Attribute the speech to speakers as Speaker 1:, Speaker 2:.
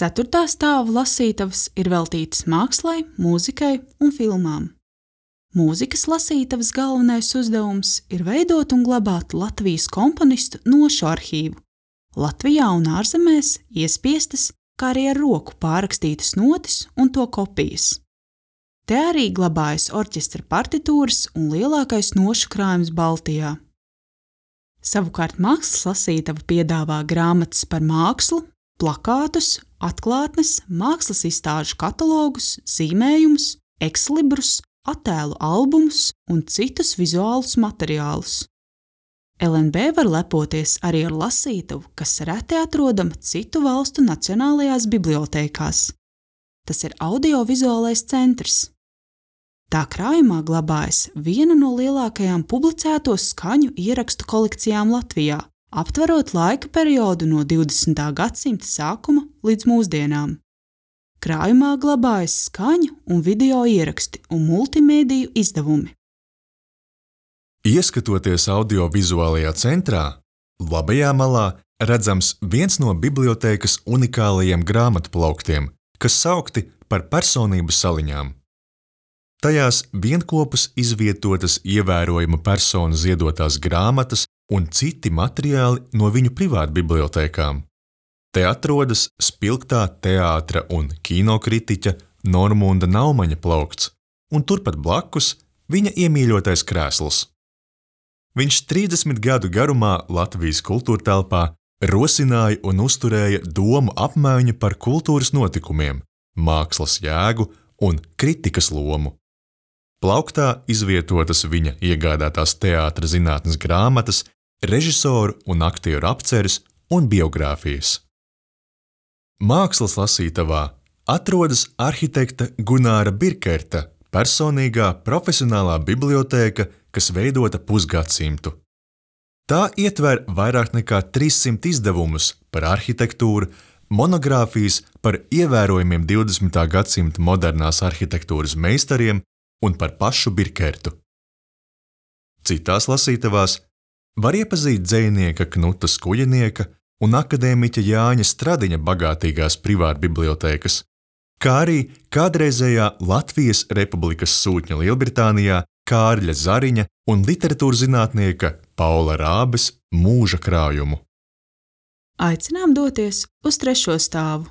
Speaker 1: Ceturtā stāva lasītavas ir veltītas mākslai, mūzikai un filmām. Mūzikas lasītavas galvenais uzdevums ir veidot un glabāt Latvijas komponistu nošu arhīvu, Latvijā un ārzemēs iespiestas, kā arī ar roku pārrakstītas notis un to kopijas. Te arī glabājas orķestra partitūras un lielākais nošu krājums Baltijā. Savukārt mākslas lasītava piedāvā grāmatas par mākslu, plakātus, atklātnes, mākslas izstāžu katalogus, zīmējumus, ekslibrus, attēlu albumus un citus vizuālus materiālus. LNB var lepoties arī ar lasītavu, kas reti atrodama citu valstu nacionālajās bibliotēkās. Tas ir audiovizuālais centrs. Tā krājumā glabājas viena no lielākajām publicēto skaņu ierakstu kolekcijām Latvijā, aptverot laika periodu no 20. gadsimta sākuma līdz mūsdienām. Krājumā glabājas skaņu un video ieraksti un multimēdiju izdevumi.
Speaker 2: Ieskatoties audiovizuālajā centrā, labajā malā redzams viens no bibliotēkas unikālajiem grāmatu plauktiem, kas saukti par personību saliņām. Tajās vienkopus izvietotas ievērojama persona ziedotās grāmatas un citi materiāli no viņu privātbibliotēkām. Te atrodas spilgtā teātra un kinokritiķa Normunda Naumaņa plaukts, un turpat blakus viņa iemīļotais krēsls. Viņš 30 gadu garumā Latvijas kultūrtelpā rosināja un uzturēja domu apmaiņu par kultūras notikumiem, mākslas jēgu un kritikas lomu. Plauktā izvietotas viņa iegādātās teātra zinātnes grāmatas, režisoru un aktieru apceres un biogrāfijas. Mākslas lasītavā atrodas arhitekta Gunāra Birkerta personīgā profesionālā bibliotēka, kas veidota pusgadsimtu. Tā ietver vairāk nekā 300 izdevumus par arhitektūru, monogrāfijas par ievērojumiem 20. gadsimta modernās arhitektūras meistariem un par pašu Birkertu. Citās lasītavās var iepazīt dzejnieka Knuta Skujenieka un akadēmiķa Jāņa Stradiņa bagātīgās privātbibliotēkas, kā arī kādreizējā Latvijas Republikas sūtņa Lielbritānijā Kārļa Zariņa un literatūrzinātnieka Paula Rābes mūža krājumu.
Speaker 1: Aicinām doties uz 3. stāvu.